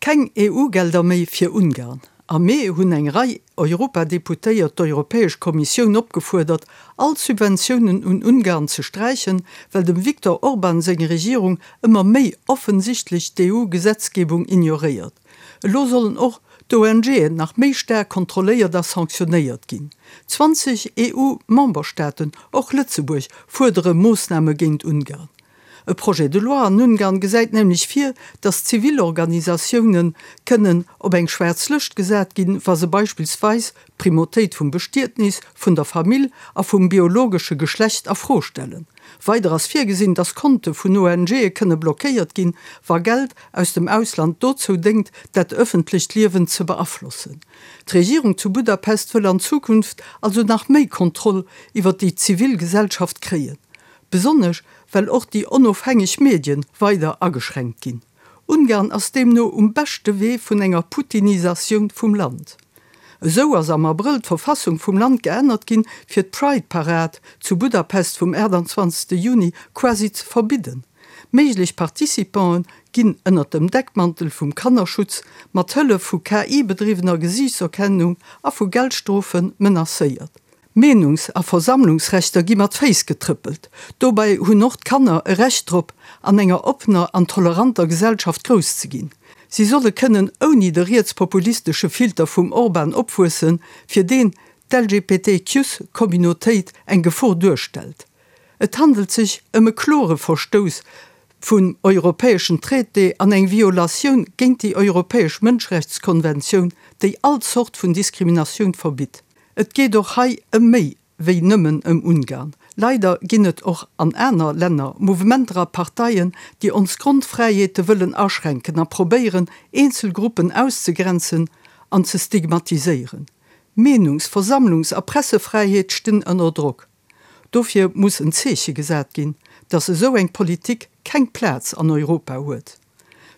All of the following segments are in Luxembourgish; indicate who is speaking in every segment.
Speaker 1: Keng EU-Gelder méi fir Ungarn. Am Mee hunn eng Rei Europadeputéiert d'Europäesch Kommissioun opgefuerdert, all Subventiounen un Ungarn ze sträichen, well dem Viktor Orban seng Regierung ëmmer méi offensichtlech d'EU-Gesetzgebung ignoréiert. Elo sollen och d'ONGen nach méi staark kontrolléiert a sanktionéiert ginn. 20 EU-Memberstaaten, och Lëtzebuerg, fuerdere Moossname géint Ungarn. E Projet de loi an Ungarn gesäit nämlech vir, datt Zivilorganisatioune kënnen op eng schwaarz Lëscht gesat ginn, wa se beispillsweis d'Primautéit vum Bestietnis, vun der Famill a vum biologesche Geschlecht a Fro stellen. Weider ass virgesinn, datt Konte vun ONGe kënne blockéiert ginn, wa Geld aus dem Ausland dozou déngt, dat ëffentlecht Liewen ze beaflossen. D'Regierung zu Budapest wëll an Zukunft also nach méi Kontroll iwwer déi zivil Gesellschaft kréien. Besonnesch well och déi onofhängeg Medien weider ageschränkt ginn. Ungarn ass deemno um beschte Wee vun enger Putinisatioun vum Land. Esou ass am Abrëll d'Verfassung vum Land geännert ginn, fir d'Pride-Parad zu Budapest vum 28 Juni quasi ze verbidden. Méiglech Participanten ginn ënnert dem Deckmantel vum Kannerschutz mat Hëllef vu KI-bedriwwener Gesiichtserkennung a vu Geldstrofe menacéiert. Meenungs a Versammlungsrechter gi mat Féiss getrëppelt. Dobäi hunn och d'Kanner e Recht drop, an enger oppener an toleranter Gesellschaft grouss ze ginn. Si solle kënnen ouni de rietspopulistesche Filter vum Orban opwuessen, fir deen d'LGBTQs-Communautéit eng Gefor duerstellt. Et handelt sech ëm e klore Verstouss vum europäeschen Traité an eng Violatioun géint déi europäesch Mënschrechtskonventioun, déi all Zort vun Diskriminatioun verbitt. Et geet och hei ëm méi wéi nëmmen ëm Ungarn. Leider ginn et och an aner Länner Mouvementer a Parteien, déi ons Grondfräiheete wëllen aschränken a probéieren, eenzel Gruppen auszegrenzen an ze stigmatiséieren. Meenungs-, Versammlungs a Pressefräiheet stinn ënner Drock. Dofir muss en Zeeche gesat ginn, datt esou eng Politik keng Plaz an Europa huet.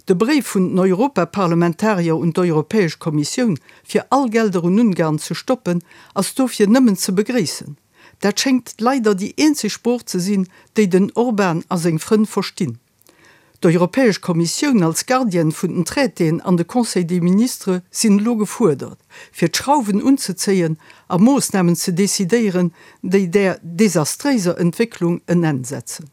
Speaker 1: De Bréif vun den Europaparlamentarier un d'Europäesch Kommissioun, fir all Gelder un Ungarn ze stoppen, ass dofir nëmmen ze begréissen. Dat schéngt leider déi eenzeg Sprooch ze sinn, déi den Orban a seng Frënn verstinn. D'Europäesch Kommissioun als Gardienne vun den Traitéen an de Conseil des ministres sinn elo gefuerdert, fir d'Schrauwen unzezéien a Moossnamen ze decidéieren, déi där desastréiser Entwécklung en Enn setzen.